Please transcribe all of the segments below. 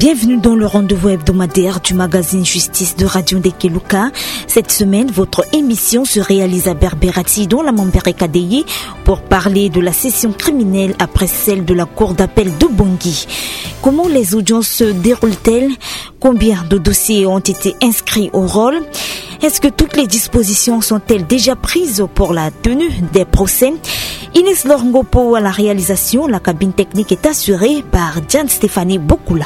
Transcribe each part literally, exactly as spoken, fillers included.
Bienvenue dans le rendez-vous hebdomadaire du magazine Justice de Radio Ndekeluka. Cette semaine, votre émission se réalise à Berberati, dans la Mambere Kadeye, pour parler de la session criminelle après celle de la cour d'appel de Bangui. Comment les audiences se déroulent-elles ? Combien de dossiers ont été inscrits au rôle ? Est-ce que toutes les dispositions sont-elles déjà prises pour la tenue des procès ? Inès Lorngopo à la réalisation, la cabine technique est assurée par Diane Stéphanie Bokula.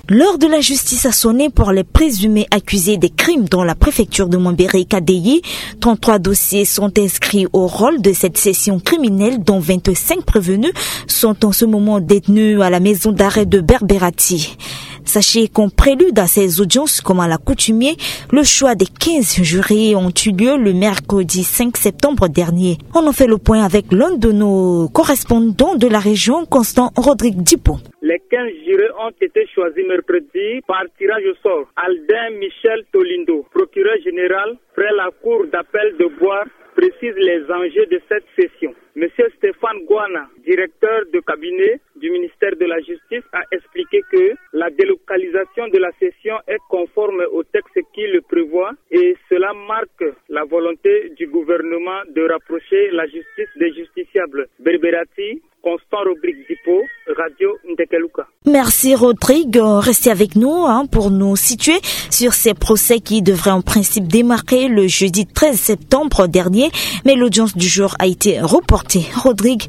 L'heure de la justice a sonné pour les présumés accusés des crimes dans la préfecture de Mambere Kadeye. Trente-trois dossiers sont inscrits au rôle de cette session criminelle, dont vingt-cinq prévenus sont en ce moment détenus à la maison d'arrêt de Berberati. Sachez qu'en prélude à ces audiences, comme à l'accoutumée, le choix des quinze jurés ont eu lieu le mercredi cinq septembre dernier. On en fait le point avec l'un de nos correspondants de la région, Constant Rodrigue Dupont. Les quinze jurés ont été choisis mercredi par tirage au sort. Aldin Michel Tolindo, procureur général près la cour d'appel de Boire, précise les enjeux de cette session. Monsieur Stéphane Guana, directeur de cabinet du ministère de la Justice, a expliqué que la délocalisation de la session est conforme au texte qui le prévoit et cela marque la volonté du gouvernement de rapprocher la justice des justiciables. Berberati, Constant Rodrigue Dupont, Radio Ndekeluka. Merci Rodrigue. Euh, restez avec nous, hein, pour nous situer sur ces procès qui devraient en principe démarrer le jeudi treize septembre dernier. Mais l'audience du jour a été reportée. Rodrigue,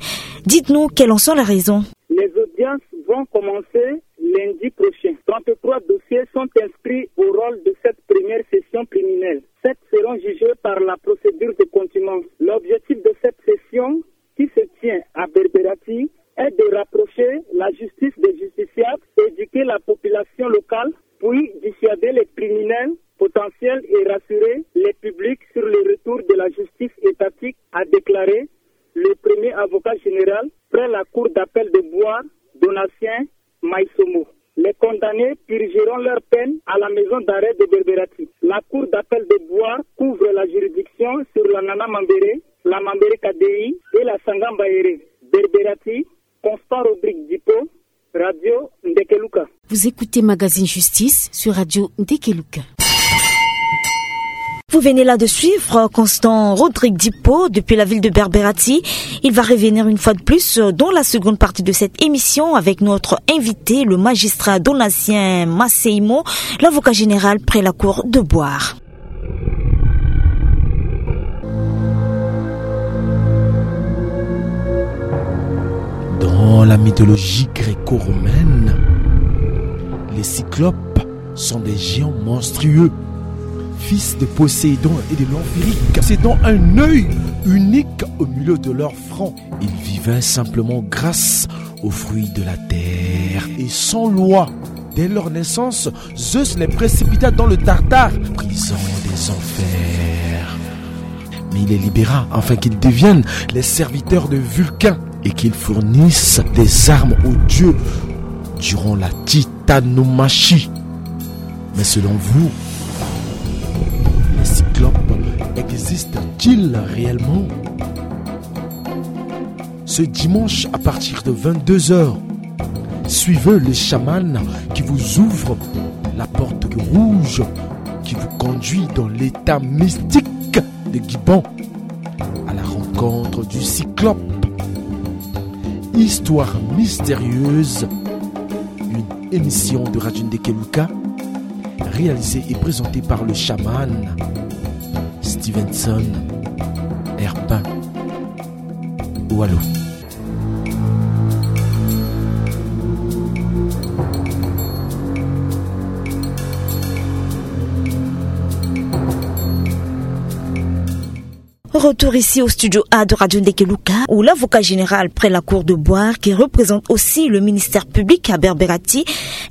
dites-nous quelles en sont les raisons. Les audiences vont commencer lundi prochain. Trente-trois dossiers sont inscrits au rôle de cette première session criminelle. Sept seront jugés par la procédure de contumace. L'objectif de cette session, qui se tient à Berberati, est de rapprocher la justice des justiciables, éduquer la population locale, puis dissuader les criminels potentiels et rassurer les publics sur le retour de la justice étatique, a déclaré le premier avocat général près la cour d'appel de Boire, Donatien Maïsomo. Les condamnés purgeront leur peine à la maison d'arrêt de Berberati. La cour d'appel de Boire couvre la juridiction sur la Nana Mambere, la Mambere Kadei et la Sangamba Ere. Berberati, Constant Rodrigue Dupont, Radio Ndekeluka. Vous écoutez Magazine Justice sur Radio Ndekeluka. Vous venez là de suivre Constant Rodrigue Dupont depuis la ville de Berberati. Il va revenir une fois de plus dans la seconde partie de cette émission avec notre invité, le magistrat Donatien Maïsomo, l'avocat général près la cour de Boire. Dans la mythologie gréco-romaine, les cyclopes sont des géants monstrueux, fils de Poséidon et de l'Amphirythe, possédant un œil unique au milieu de leur front. Ils vivaient simplement grâce aux fruits de la terre et sans loi. Dès leur naissance, Zeus les précipita dans le Tartare, prison des enfers. Mais il les libéra afin qu'ils deviennent les serviteurs de Vulcain et qu'ils fournissent des armes aux dieux durant la titanomachie. Mais selon vous, les cyclopes existent-ils réellement ? Ce dimanche à partir de vingt-deux heures, suivez le chaman qui vous ouvre la porte rouge qui vous conduit dans l'état mystique de Guiban à la rencontre du cyclope. Histoire mystérieuse, une émission de Radio Ndekeluka réalisée et présentée par le chaman Stevenson Herbin. Wallo. Retour ici au studio A de Radio Ndekeluka, où l'avocat général près la cour de Boire, qui représente aussi le ministère public à Berberati,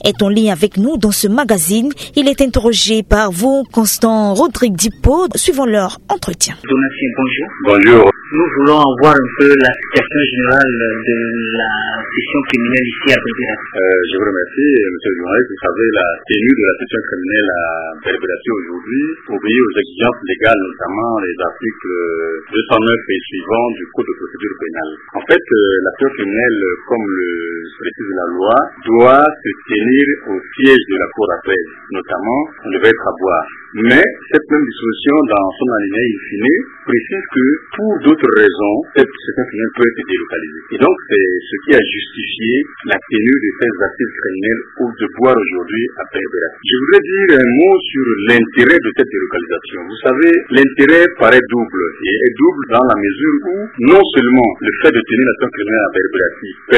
est en ligne avec nous dans ce magazine. Il est interrogé par vous, Constant Rodrigue Dupont, suivant leur entretien. Donatien, bonjour. Bonjour. Nous voulons avoir un peu la situation générale de la session criminelle ici à Berberati. Euh, je vous remercie, monsieur le journaliste. Vous savez, la tenue de la session criminelle à Berberati aujourd'hui obéit aux exigences légales, notamment les articles euh, deux cent neuf et suivant du Code de procédure pénale. En fait, euh, l'action criminelle, euh, comme le précise la loi, doit se tenir au siège de la cour d'appel, notamment, on devait être à Boire. Mais cette même disposition, dans son alinéa infini, précise que pour d'autres raisons, cette, cette criminelle peut être délocalisée. Et donc, c'est ce qui a justifié la tenue de ces assises criminelles au de Boire aujourd'hui à Berbera. Je voudrais dire un mot sur l'intérêt de cette délocalisation. Vous savez, l'intérêt paraît double, et est double dans la mesure où non seulement le fait de tenir l'action criminelle à Berbera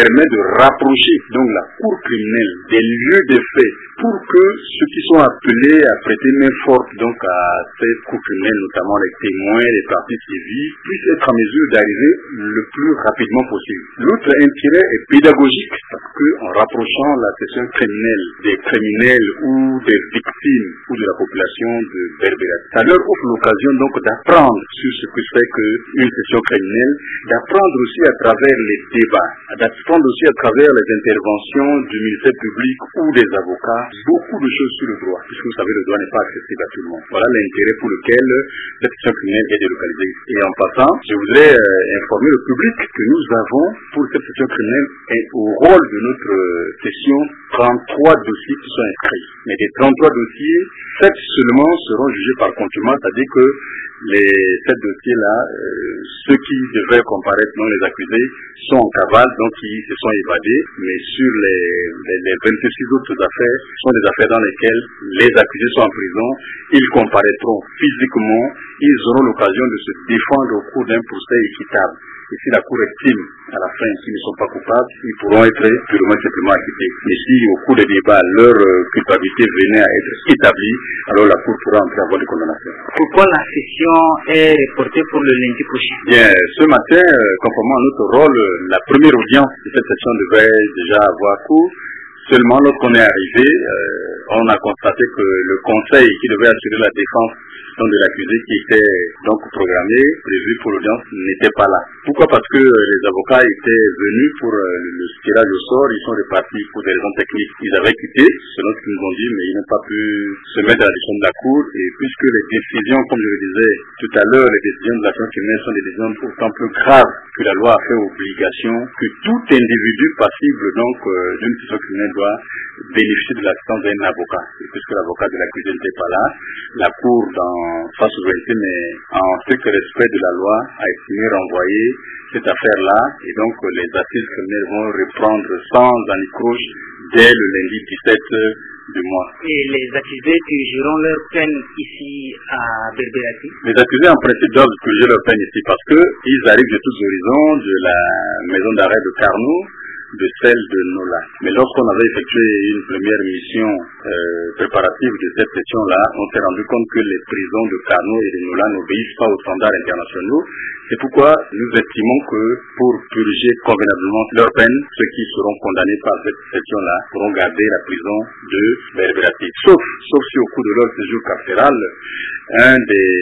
permet de rapprocher donc la cour criminelle des lieux des faits pour que ceux qui sont appelés à prêter main forte donc à cette cour criminelle, notamment les témoins, les parties civiles, puissent être en mesure d'arriver le plus rapidement possible. L'autre intérêt est pédagogique parce que en rapprochant la session criminelle des criminels ou des victimes ou de la population de Berbera, ça leur offre l'occasion donc d'apprendre sur ce que c'est qu'une session criminelle, d'apprendre aussi à travers les débats, d'apprendre aussi à travers les interventions du ministère public ou des avocats beaucoup de choses sur le droit, puisque vous savez, le droit n'est pas accessible à tout le monde. Voilà l'intérêt pour lequel cette session criminelle est délocalisée. Et en passant, je voudrais euh, informer le public que nous avons pour cette session criminelle et au rôle de notre euh, session trente-trois dossiers qui sont inscrits. Mais des trente-trois dossiers, sept seulement seront jugés par contumace, c'est-à-dire que les sept dossiers-là, euh, ceux qui devaient comparaître, non les accusés, sont en cavale, donc ils se sont évadés. Mais sur les, les, les vingt-six autres affaires, ce sont des affaires dans lesquelles les accusés sont en prison, ils comparaîtront physiquement, ils auront l'occasion de se défendre au cours d'un procès équitable. Et si la Cour estime à la fin qu'ils ne sont pas coupables, ils pourront être purement et simplement acquittés. Mais si au cours des débats, leur euh, culpabilité venait à être établie, alors la Cour pourra entrer en voie de condamnation. Pourquoi la session est reportée pour le lundi prochain ? Bien, ce matin, euh, conformément à notre rôle, euh, la première audience de cette session devait déjà avoir cours. Seulement, lorsqu'on est arrivé, euh, on a constaté que le conseil qui devait assurer la défense donc de l'accusé qui était donc programmé, prévu pour l'audience, n'était pas là. Pourquoi ? Parce que euh, les avocats étaient venus pour euh, le tirage au sort, ils sont repartis pour des raisons techniques. Ils avaient quitté, selon ce qu'ils nous ont dit, mais ils n'ont pas pu se mettre à la disposition de la cour. Et puisque les décisions, comme je le disais tout à l'heure, les décisions de l'action criminelle sont des décisions d'autant plus graves que la loi a fait obligation que tout individu passible donc euh, d'une session criminelle doit bénéficier de l'assistance d'un avocat. Et puisque l'avocat de l'accusé n'était pas là, la Cour, dans sa souveraineté, mais en strict respect de la loi, a estimé renvoyer cette affaire-là. Et donc, euh, les assises criminelles vont reprendre sans anicroche dès le lundi dix-sept du mois. Et les accusés purgeront leur peine ici à Berberati ? Les accusés, en principe, doivent purger leur peine ici parce qu'ils arrivent de tous horizons, de la maison d'arrêt de Carnot, de celle de Nola. Mais lorsqu'on avait effectué une première mission euh, préparative de cette session-là, on s'est rendu compte que les prisons de Carnot et de Nola n'obéissent pas aux standards internationaux. C'est pourquoi nous estimons que pour purger convenablement leur peine, ceux qui seront condamnés par cette session-là pourront garder la prison de Berberati. Sauf, sauf si au cours de leur séjour carcéral, un des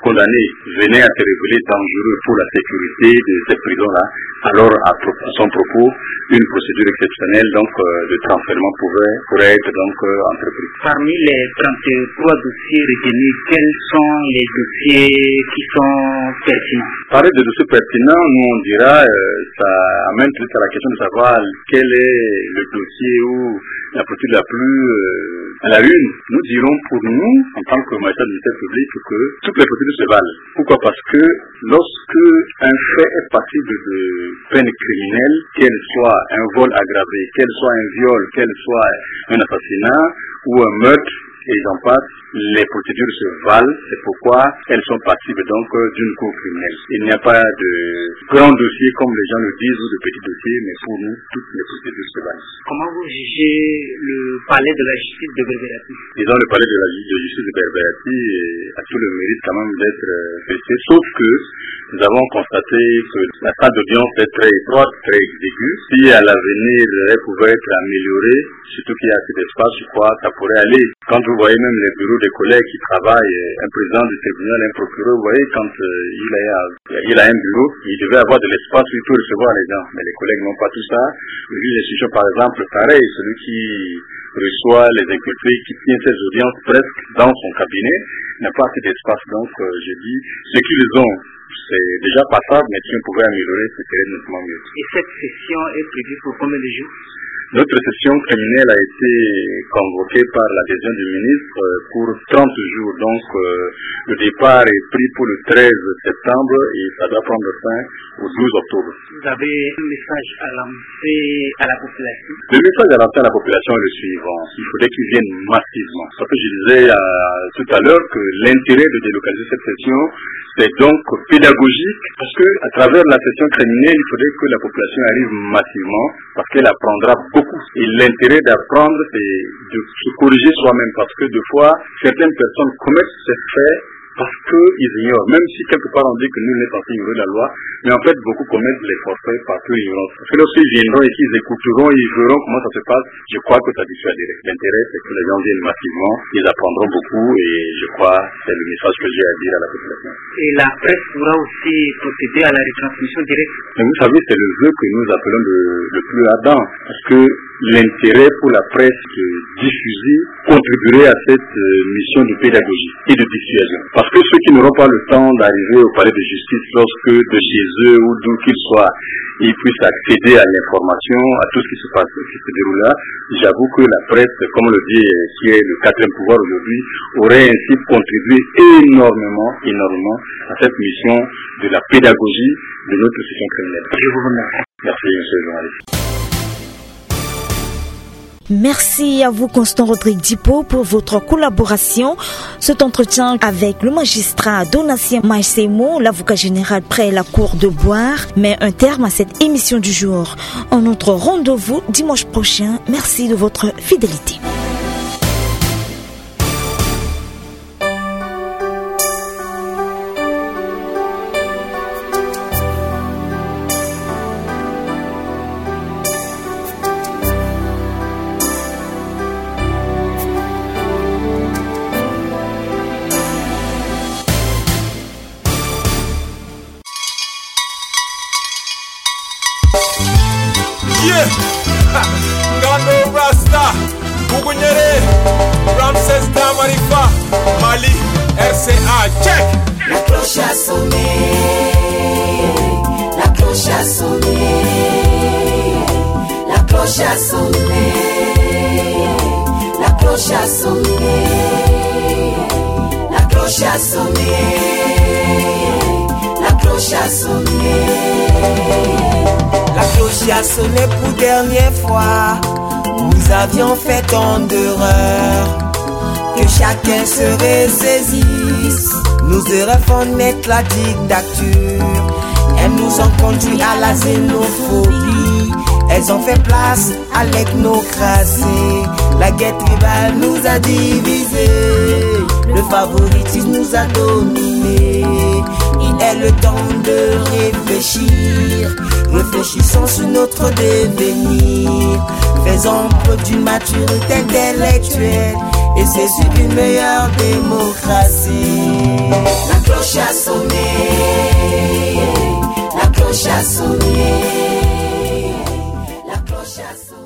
condamné venait à se révéler dangereux pour la sécurité de cette prison-là, alors à, pro- à son propos, une procédure exceptionnelle donc euh, de transfèrement pouvait, pourrait être donc euh, entreprise. Parmi les trente-trois dossiers retenus, quels sont les dossiers qui sont pertinents ? Parler de dossiers pertinents, nous on dira, euh, ça amène peut-être à la question de savoir quel est le dossier ou la procédure la plus euh, à la une. Nous dirons pour nous, en tant que magistrat du ministère public, que toutes les procédures se valent. Pourquoi ? Parce que lorsque un fait est passible de peine criminelle, qu'elle soit un vol aggravé, qu'elle soit un viol, qu'elle soit un assassinat ou un meurtre, et j'en passe, les procédures se valent, c'est pourquoi elles sont passibles donc euh, d'une cour criminelle. Il n'y a pas de grands dossiers comme les gens le disent ou de petits dossiers, mais pour nous, toutes les procédures se valent. Comment vous jugez le palais de la justice de Berberati ? Disons, le palais de la ju- de justice de Berberati euh, a tout le mérite quand même d'être euh, fêté, sauf que nous avons constaté que la salle d'audience est très étroite, très exiguë. Si à l'avenir elle pouvait être améliorée, surtout qu'il y a assez d'espace, je crois que ça pourrait aller. Quand vous voyez même les bureaux des collègues qui travaillent, euh, un président du tribunal, un procureur, vous voyez, quand euh, il, a, il a un bureau, il devait avoir de l'espace où il peut recevoir les gens. Mais les collègues n'ont pas tout ça. Le juge d'instruction, par exemple, pareil, celui qui reçoit les inculpés, qui tient ses audiences presque dans son cabinet, n'a pas assez d'espace. Donc, euh, je dis, ce qu'ils ont, c'est déjà passable, mais si on pouvait améliorer, ce serait nettement mieux. Et cette session est prévue pour combien de jours ? Notre session criminelle a été convoquée par l'adhésion du ministre, euh, pour trente jours. Donc, euh, le départ est pris pour le treize septembre et ça doit prendre fin au douze octobre. Vous avez un message à lancer à la population ? Le message à lancer à la population est le suivant. Il faudrait qu'ils viennent massivement. Parce que je disais, euh, tout à l'heure que l'intérêt de délocaliser cette session, c'est donc pédagogique, parce que à travers la session criminelle, il faudrait que la population arrive massivement, parce qu'elle apprendra beaucoup. Et l'intérêt d'apprendre, c'est de se corriger soi-même, parce que des fois, certaines personnes commettent ces faits parce qu'ils ignorent. Même si quelque part on dit que nul n'est censé ignorer la loi, mais en fait, beaucoup commettent les forfaits par pure ignorance. Parce que lorsqu'ils viendront et qu'ils écouteront, ils verront comment ça se passe, je crois que ça dissuaderait. L'intérêt, c'est que les gens viennent massivement, ils apprendront beaucoup et je crois que c'est le message que j'ai à dire à la population. Et la presse pourra aussi procéder à la retransmission directe. Mais vous savez, c'est le vœu que nous appelons le, le plus ardent, parce que l'intérêt pour la presse de diffuser contribuerait à cette, euh, mission de pédagogie et de dissuasion. Parce que ceux qui n'auront pas le temps d'arriver au palais de justice lorsque de chez eux ou d'où qu'ils soient, ils puissent accéder à l'information, à tout ce qui se passe, qui se déroule là, j'avoue que la presse, comme on le dit, euh, qui est le quatrième pouvoir aujourd'hui, aurait ainsi contribué énormément, énormément à cette mission de la pédagogie de notre système criminel. Je vous remercie. Merci, monsieur le journaliste. Merci à vous, Constant Rodrigue Dipo, pour votre collaboration. Cet entretien avec le magistrat Donatien Maïsemo, l'avocat général près la cour de Bouar, met un terme à cette émission du jour. Un autre rendez-vous dimanche prochain. Merci de votre fidélité. Yeah. Ngando Rasta, Bugunyere, Ramses Damarifa, Mali, R C A, check. La cloche a sonné, la cloche a sonné, la cloche a sonné, la cloche a sonné, la cloche a sonné, la cloche a sonné. La cloche a sonné pour dernière fois. Nous avions fait tant d'erreurs, que chacun se ressaisisse. Nos erreurs font naître la dictature. Elles nous ont conduit à la xénophobie. Elles ont fait place à l'ethnocratie. La guerre tribale nous a divisés. Le favoritisme nous a dominés. Il est le temps de réfléchir. Réfléchissons sur notre devenir. Faisons preuve d'une maturité intellectuelle et c'est sur une meilleure démocratie. La cloche a sonné, la cloche a sonné, la cloche a sonné.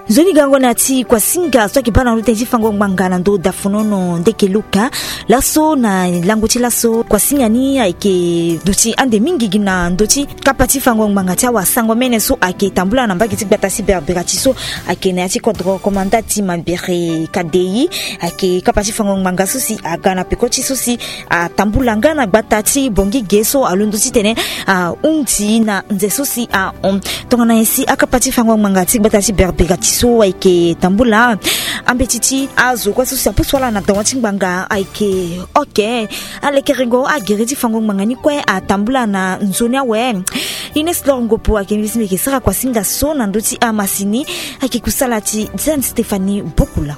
Nzoni gango na ti kuasinga so ayeke baa na ndo tënë ti fango ngbanga na ndo dafonono ndeke luka. Laso na lango ti laso kuasinga ni ayeke duti ande mingi gi na ndö ti kapa ti fango ngbanga ti awasango mene so ayeke tambula na mbage ti gbata ti Berbera ti so ayeke na ya ti kodro komanda ti Mabere Kadei. Ayeke kapa ti fango ngbanga so si aga na peko ti so si atambula nga na gbata ti Bongi ge so alondo titene ahunzi na nze so si ahon. Tongana nyen si akapa ti fango ngbanga ti gbata ti Berbera ti so ayeke tambula, ambeti ti azo kue so si apusu ala na dawa ti ngbanga ayeke oke. Alekerengo agere ti fango ngbanga ni kue atambula na nzoni awe. Ines Lor Ngopo ayeke mbi si mbi yeke sara kuasinga so na ndö ti amasini. Ayeke kusala ti Diane Stéphanie Bokula.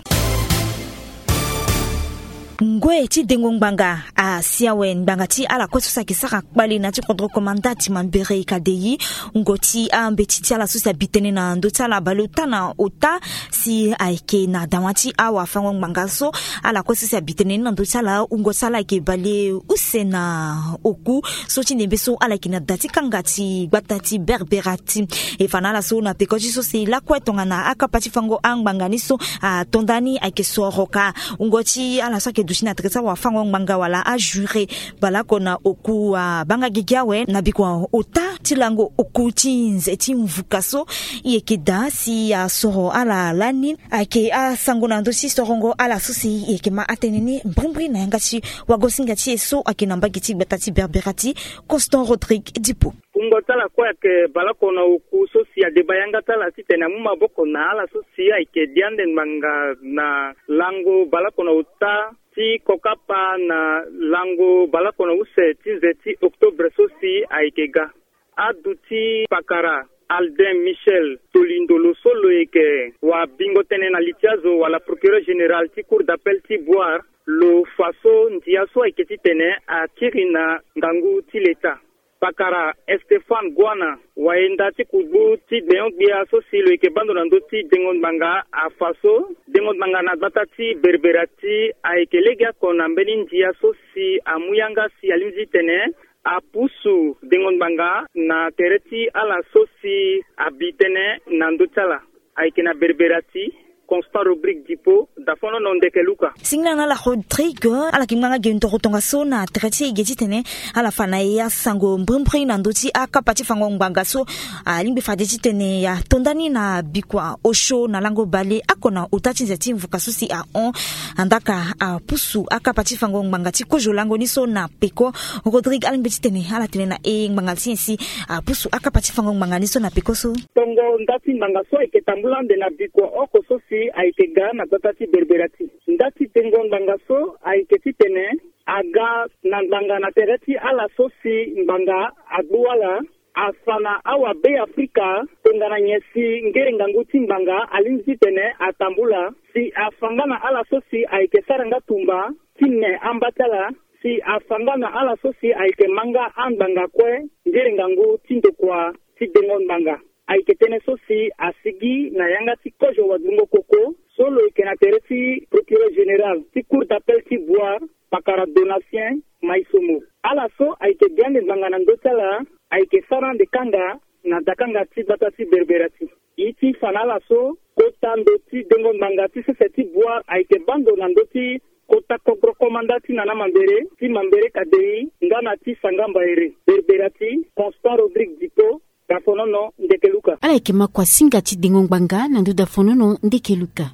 Ngoi ti dengo ngbanga asi awe ngbanga ti ala kue so si ayeke sara kpale na ti kodro komanda ti mambere kadei. Wungo ti ambeti ti ala so si abi tënë na ndö ti ala baleota na ota si ayeke na dawa ti awafango ngbanga so. Ala kue so si abi tënë ni na ndö ti ala wungo ti ala ayeke baleuse na oku so ti ndembe so ala yeke na da ti kanga ti gbata ti Berberati. E fa na ala so na peko ti so si lakue tongana akapa ti fango angbanga ni so ato nda ni ayeke soro ka. Wungo ti ala so ayeke duti na tere ti awafango ngbanga wala ajure baleoko na oku abanga gigi awe na bikua ota ti lango oku ti nze ti mvuka so. E yeke daa si asoro ala lani. Ayeke asango na ndö ti sorongo ala so si e yeke ma atënë ni mbrimbri na yanga ti wagosinga ti e so ayeke na mbage ti gbata ti Berberati, Constant Rodrigue Dipo. Wungo ti ala kue ayeke baleoko na oku so si adeba yanga ti ala titene amu maboko na ala so si ayeke dia ande ngbanga na lango baleoko na ota ti kokapa na lango baleoko na use ti nze ti octobre so si ayeke ga. Aduti pakara Alden Michel Tolindolo so lo yeke wabingo tënë na li ti azo wala procureur général ti cour d'appel ti Bouar, lo fa so ndia so ayeke titene akiri na ngangu ti leta. Pakara Stéphane Guana, wayenda ti kugbu ti gbenyo-gbia so si lo yeke baa ndo na ndö ti dengo ngbanga, afa so dengo ngbanga na gbata ti Berberati ayeke legeoko na mbeni ndia so si amu yanga si alingbi titene apusu dengo ngbanga na tere ti ala so si abi tënë na ndö ti ala. Ayeke na Berberati, Constant Rodrigue Dipo, dafonono ndeke luka. Singila na ala Rodrigue, ala yeke ngbanga ge ndoro tongaso na tere ti e ge titene ala fa na e asango mbrimbri na ndö ti akapa ti fango ngbanga so alingbi fade titene ato nda ni na bikua osio na lango baleoko na ota ti nze ti mvuka so si ahon. Andaa ka apusu akapa ti fango ngbanga ti kozo lango ni so na peko. Rodrigue alingbi titene ala tene na e ngbanga ti nyen si apusu akapa ti fango ngbanga ni so na peko so. Tongo nda ti ngbanga so ayeke tambula ande na bikua oko so si ayeke ga na gbata ti Berberati. Nda ti dengo ngbanga so ayeke titene aga na ngbanga na tere ti ala so si ngbanga agbu ala. Afa na awabeafrika tongana nyen si ngere ngangu ti ngbanga alingbi titene atambula si afa nga na ala so si ayeke sara nga tumba ti ne amba ti ala, si afa nga na ala so si ayeke ma nga angbanga kue ngere ngangu ti ndokua ti dengo ngbanga. Ayeke tënë so si asigi na yanga ti kozo wagbungo koko so lo yeke na tere ti procureur général ti cour d'appel ti Bouar, pakara Donatien Maisomo. Ala so ayeke gi ande ngbanga na ndö ti ala ayeke sara ande kanga na dakanga ti gbata ti Berberati. E ti fa na ala so kota ndo ti dengo ngbanga ti sese ti Bouar ayeke baa ndo na ndö ti kota kodro komanda ti Nana Mambere, ti Mambere Kadei nga na ti Sanga Mbaere. Berberati, Constant Rodrigue Dipo, Kafonono, ndeke luka. Ala yeke ma kua singa ti dengo ngbanga na ndö dafonono ndeke luka.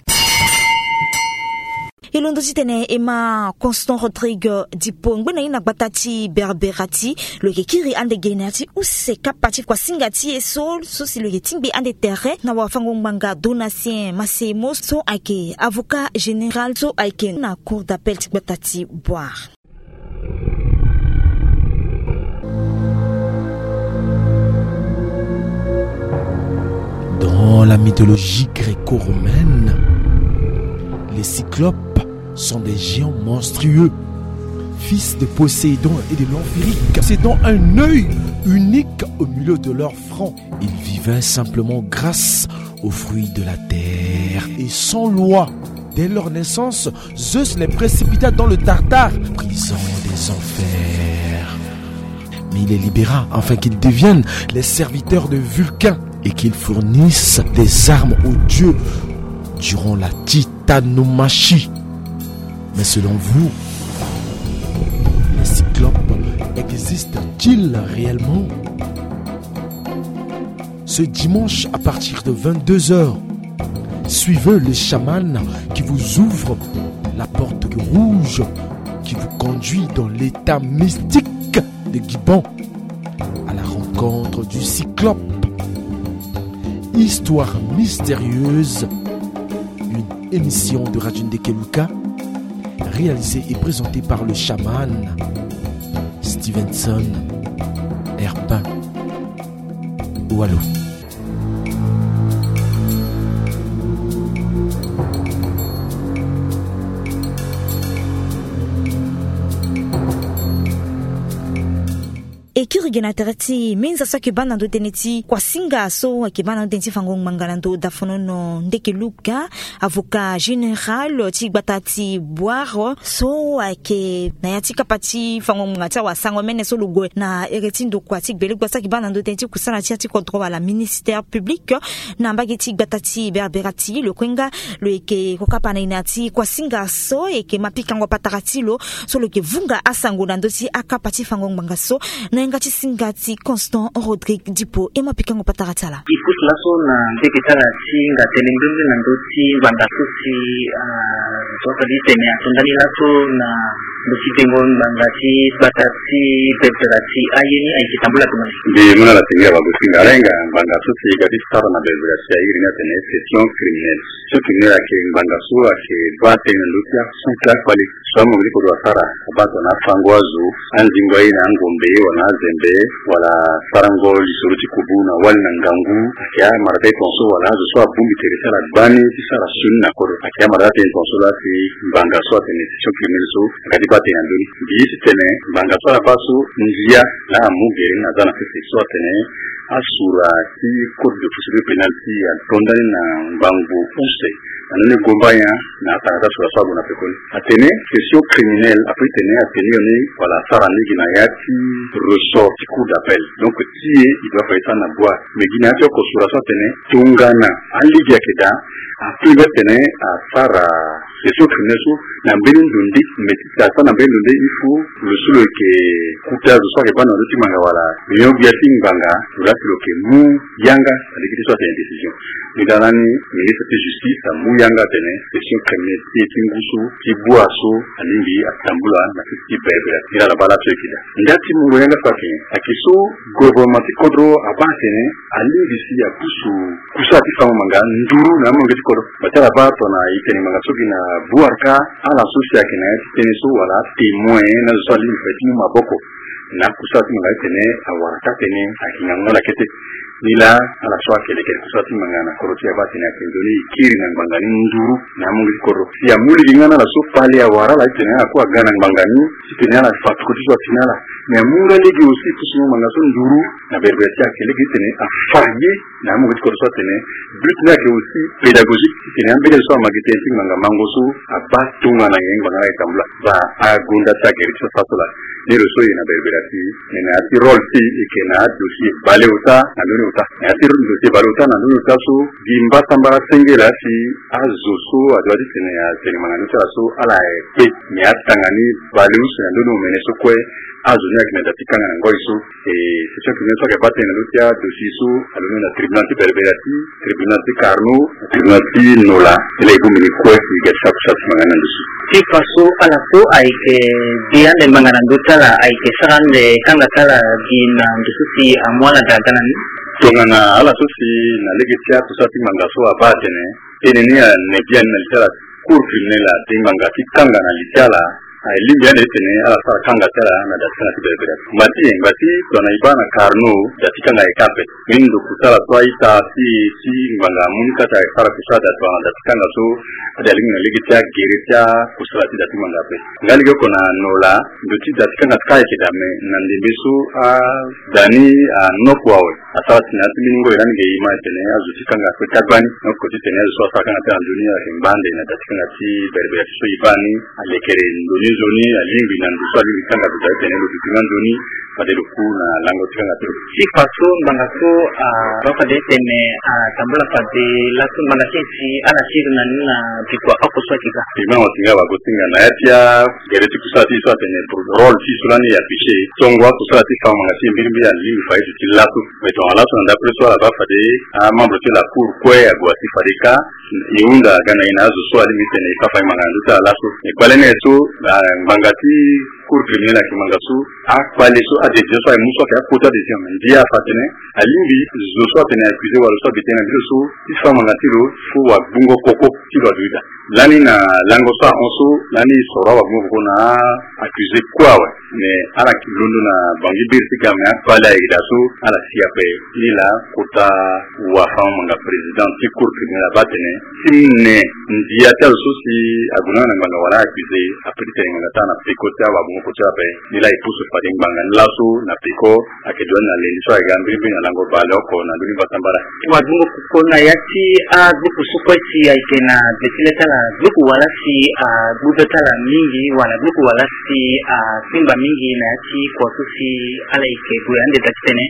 E londo titene e ma Constant Rodrigue Dipo ngbene ni na gbata ti Berberati. Lo yeke kiri ande ge na ya ti use kapa ti kua singa ti e so, so si lo yeke tingbi ande tere na wafango ngbanga Donatien Masemo so ayeke avocat général so ayeke na cour d'appel ti gbata ti Bouar. Dans la mythologie gréco-romaine, les cyclopes sont des géants monstrueux, fils de Poséidon et de l'Amphéryque, possédant un œil unique au milieu de leur front. Ils vivaient simplement grâce aux fruits de la terre et sans loi. Dès leur naissance, Zeus les précipita dans le Tartare, prison des enfers. Mais il les libéra afin qu'ils deviennent les serviteurs de Vulcain et qu'ils fournissent des armes aux dieux durant la titanomachie. Mais selon vous, les cyclopes existent-ils réellement ? Ce dimanche à partir de vingt-deux heures, suivez le chaman qui vous ouvre la porte rouge qui vous conduit dans l'état mystique de Guibon à la rencontre du cyclope. Histoire mystérieuse, une émission de Radio Ndekeluka réalisée et présentée par le chaman Stevenson Herpin. Wallo. E kiri ge na tere ti minza so ayeke baa na ndö tënë ti kuasinga so ayeke baa na ndö tënë ti fango ngbanga na ndö dafonono Ndeke Luga, avocat général ti gbata ti Bouar, so ayeke na ya ti kapa ti fango ngbanga ti awasango mene so lo gue na ere ti ndokua ti gbele gbasa ayeke baa na ndö tënë ti kusana ti ya ti kodro wala ministère public na mbage ti gbata ti Berbera ti lo kue nga. Lo yeke kokapa na ina ti kuasinga so yeke ma pikango patara ti lo so lo yeke vunga asango na ndö ti akapa ti fango ngbanga so na yanga ti singa ti Constant Rodrigue Dipo. E ma pikango patara ti ala. E pusu laso na ndeke ti ala ti hinga tënë mbrimbri na ndö ti ngbanga so si, ah, so atali tene ato ndani laso na ndö ti dengo ngbanga ti gbata ti Berbera ti aye ni ayeke tambula tongaso. Mbi mu na ala ti ngia wagosinga ala hinga ngbanga so si e ga ti sara na Berbera ti aye ni atene session criminelle. Session criminelle ayeke ngbanga so ayeke baa tënë na ndö ti ason ti akpale so amonge ti kodro asara abaa tongana afango azo, anzingo aye na angombe wala na azembe, wala sarango lisoro ti kubu na wali na ngangu. Ayeke amara ti aye tongaso wala azo so abongbi tere ti ala gbani ti sara sioni na kodro. Ayeke amara ti aye tongaso laa si ngbanga so atene session criminelle so aga ti baa tënë na ndö ni. Mbi ye ti tene ngbanga so ala baa so ndia laa amu gere ni aza na sese so atene asura ti code de procédure pénale ti ato ndani na ngbangbo use na ndö ni gomba nyen na atanga ti asura so ague na pekoni. Atene session criminelle ape ti tene atene yo ni wala asara ni gi na ya ti ressort ti cour d'appel. Donc ti e e doit fa ye sara na boi. Mais gi na ya ti oko sura so atene tongana alege ayeke daa, ape mbi atene asara session criminelle so na mbeni ndo nde. Mais ti asara na mbeni ndo nde il faut lo so lo yeke kuta zo so ayeke baa na ndö ti ngbanga wala nyon gbia ti ngbanga lo laa si lo yeke mu yanga na lege ti so atene décision. Nilaa lani ministre ti justice amu yanga atene session criminelle ti e ti ngu so ti bua so alingbi atambula na sese ti Berbera. Nilaa ala baa laso e yeke daa. Nda ti mungo yanga so ayeke nyen? Ayeke so gouvernement ti kodro abaa atene alingbi si apusu kusala ti fango ngbanga nduru na amolenge ti kodro. Bati ala baa tongana e tene ngbanga so gi na Bouar ka, ala so si ayeke na ya ti tënë so wala atémoin na azo so alingbi fa ye ti mu maboko na akusala ti ngbanga ti tene awara ka tënë ayeke ngangu ala kete. Nilaa ala so ayeke lekere kusala ti ngbanga na kodro ti e abaa tene ayeke nzoni e kiri na ngbanga ni nduru na amolenge ti kodro. Si amu lege nga na ala so kpale awara ala ti tene ala kue aga na ngbanga ni ti tene ala fa tokua ti so atene ala. Mais amu nga lege aussi pusu ngbanga so nduru na Berbera ti ayeke lege ti tene afa ye na amolenge ti kodro so atene but ni ayeke aussi pédagogique ti tene ambeni azo so ama gi tënë ti ngbanga mango so abaa tongana nyen ngbanga ni ayeke tambula. Baa agonda ti agere ti so asara so laa. Ni lo so e na Berbera ti e na ya ti rôle ti e e yeke na adossier bale ota na ndö ni ota. Na ya ti dossier bale ota na ndö ni ota so gi mbasambala senge laa si azo so adoit ti tene atene ngbanga ni ti ala so ala kpe. Mais atanga ni bale use na ndö ni omene so kue azo ni ayeke na da ti kanga na ngoi so. E session criminelle so ayeke baa tënë na ndö ti adossier so alondo na tribunal ti Berbera ti, tribunal ti Carnot, tribunal ti Nola. Ni laa e bongbi ni kue e ga ti sara kusala ti ngbanga ni na ndo so. Ti fa so ala so ayeke de ande ngbanga na ndö ti ala ayeke sara ande kanga ti ala gi na ndo so si amu ala daa ga na ni. Tongana ala so si na lege ti akusala ti ngbanga so abaa atene tënë ni ane biani na li ti ala. Cour criminelle ade ngbanga ti kanga na li ti ala. Aye lingbi ande ti tene ala sara kanga ti ala na da ti kanga ti Berbera. Ngba ti nyen? Ngba ti tongana e baa na Carnot da ti kanga ayeke ape. Mbeni ndo kusala so a-ita si e ti ngbanga amu ni kâ ti ayeke sara kusala da tongana da ti kanga so ade alingbi na lege ti agere ti akusala ti da ti ngbanga ape. Nga lege oko na Nola ndo ti da ti kanga ti kâ ayeke daa me na ndembe so ada ni anoko awe. Asara si na ya ti mbeni ngoi lani ge e ma tene azo ti kanga kue ti agbani. Donc ti tene azo so asara kanga ti ala na nzoni ayeke ngba ande na da ti kanga ti Berbera ti so e baa ni. Alekere ndo ni nzoni alingbi na ndo so alingbi kanga ndo daa ti tene lo duti nga nzoni fade lo ku na lango ti kanga ti lo. Ti fa so ngbanga so abaa fade ti tene atambula fade laso ngbanga ti e si ala siri na ni na bikua oko so ayeke ga. Ema wa ti nga wago ti nga na ya ti agere ti kusala ti e so atene rôle ti e so lani e afficher tongo akusala ti fango ngbanga ti e mbirimbiri alingbi fa ye duti laso. Mais tongana laso na ndapre so ala baa fade amembre ti la cour kue ague asi fade kâ e hunda aga na e na azo so alingbi ti tene e sara fa e ngbanga na ndö ti ala laso. E kpale ni aye so na ngbanga ti cour criminelle ayeke ngbanga so akpale so adécision so aye mu so ayeke akota décision. Ndia afa atene alingbi zo so atene accusé wala zo so abi tënë na mbeni so ti sara ngbanga ti lo fo wagbungo koko ti lo adoida. Lani na lango so ahon so lani e soro awagbungo koko na accusé kue awe. Mais ala ke londo na bangi biri ti ga, mais akpale ayeke daa so ala si ape. Ni laa kota wafango-ngbanga président ti cour criminel abaa atene ti mu ne ndia ti azo so si ague na ngbanga wala accusé, ape ti tene ngbanga ti ala na peko ti awabongoko ti ala ape. Ni laa e pusu fade ngbanga ni laso na peko. Ayeke duti na lendi so ayeke ga mbirimbiri na lango baleoko na ndoni basambara. Wabongoko na ya ti agbuku so kue si ayeke na gbe ti le ti ala, gbuku wala si agbu be ti ala mingi wala gbuku wala si asimba mingi na ya ti kua so si ala yeke gue ande daa ti tene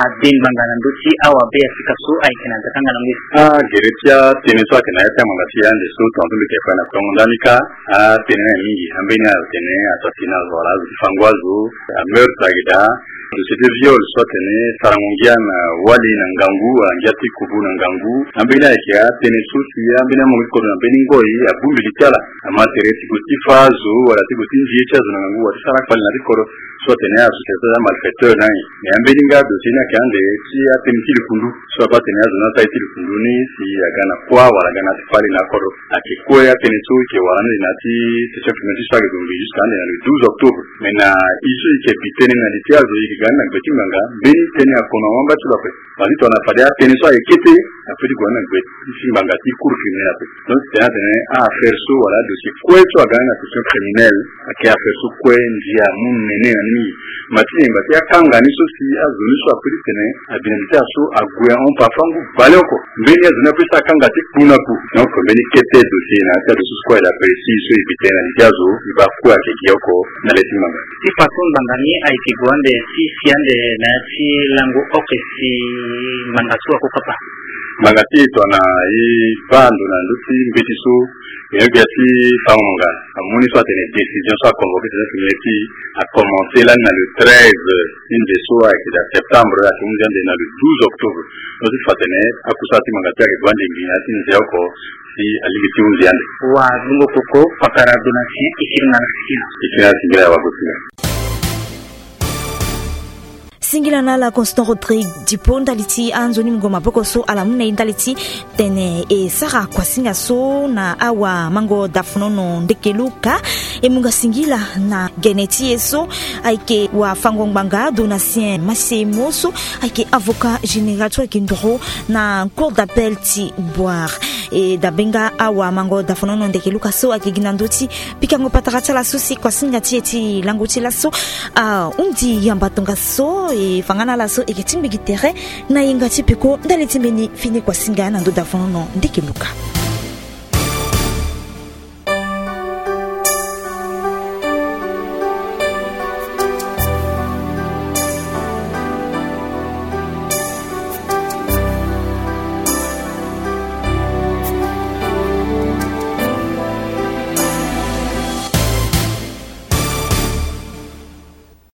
ade ngbanga na ndö ti awabe ya sika so ayeke na dakanga na ngoi. Agere ti atënë so ayeke na ya ti angbanga ti e ande so tongaso mbi yeke fa na tongo ndani kâ. Atënë ni ayeke mingi, ambeni atene assassinat wala azo ti fango azo, ameurtre ayeke daa. Dossier ti viol so atene sarango ngia na wali na ngangu wala ngia ti kubu na ngangu. Ambeni ayeke atënë so si ambeni amongo ti kodro na mbeni ngoi abongbi li ti ala. Ama tere ti gue ti fâ azo wala ti gue ti nzie ti azo na ngangu wala ti sara akpali na ti kodro. So atene association ti amalfaiteur ni aye. Me ambeni nga dossier ni ayeke ande ti atënë ti likundu. So abaa atene azo ni asara ye ti likundu ni si aga na kuâ wala aga na ya ti kpali na akodro. Ayeke kue atënë so e yeke wara ande na ya ti session primaire ti so ayeke gue ngbii jusqu'à ande na le douze octobre. Me na ye so e yeke bi tënë na li ti azo e yeke ga ni na gbe ti ngbanga, mbeni tënë akono awamba ti lo ape. Parce que tongana fade atënë so aye kete, apeut ti gue ni na gbe ti ngbanga ti cour criminel ape. Donc titene atene a-affaire so wala adossier kue so aga ni na session criminelle, ayeke affaire so kue ndia amu nene na ni mingi. Ma ti yemba ti akanga ni so si azo ni so apeut ti tene abi na li ti azo so ague ahon pa afangu baleoko. Mbeni azo ni apeut ti akanga ti kpu na kpu. Donc mbeni kete dossier na ya ti adossier so kue ayeke da ape si so e bi tënë na li ti azo e baa kue ayeke gi oko na le ti ngbanga. Ti fa so ngbanga ni ayeke gue ande ti si ande na ya ti lango oke si ngbanga so akokapa. Ngbanga ti e tongana e baa ndo na ndö ti mbeti so, e yeke ya ti fango ngbanga amu ni so atene décision so aconvoqué tene tene ti acommence lani na le treize ti nze so ayeke daa septembre, ayeke hunzi ande na le douze octobre. So ti fa tene akusala ti ngbanga ti ayeke gue ande ngbii na ya ti nze oko si alingbi ti hunzi ande. Wa dungo koko, pakara donatien, e kiri nga na sikila. E kiri nga na sikila ya wa gosinga. Singila na ala constant Rodrigue Dipo ndali ti anzoni mungo maboko so ala mu na e ndali ti tene e sara kuasinga so na awamango Dafonono Ndekeluka. E mu nga singila na gene ti e so ayeke wafango ngbanga Donatien Masemo so ayeke avocat général so ayeke ndoro na cour d'appel ti Bouar. E dabe nga awamango Dafonono Ndekeluka so ayeke gi na ndö ti pikango patara ti ala so si kuasinga ti e ti lango ti laso ahunzi yamba tongaso. E fa nga na ala so e yeke tingbi gi tere na yenga ti peko ndali ti mbeni fini kuasinga na ndö Dafonono Ndekeluka.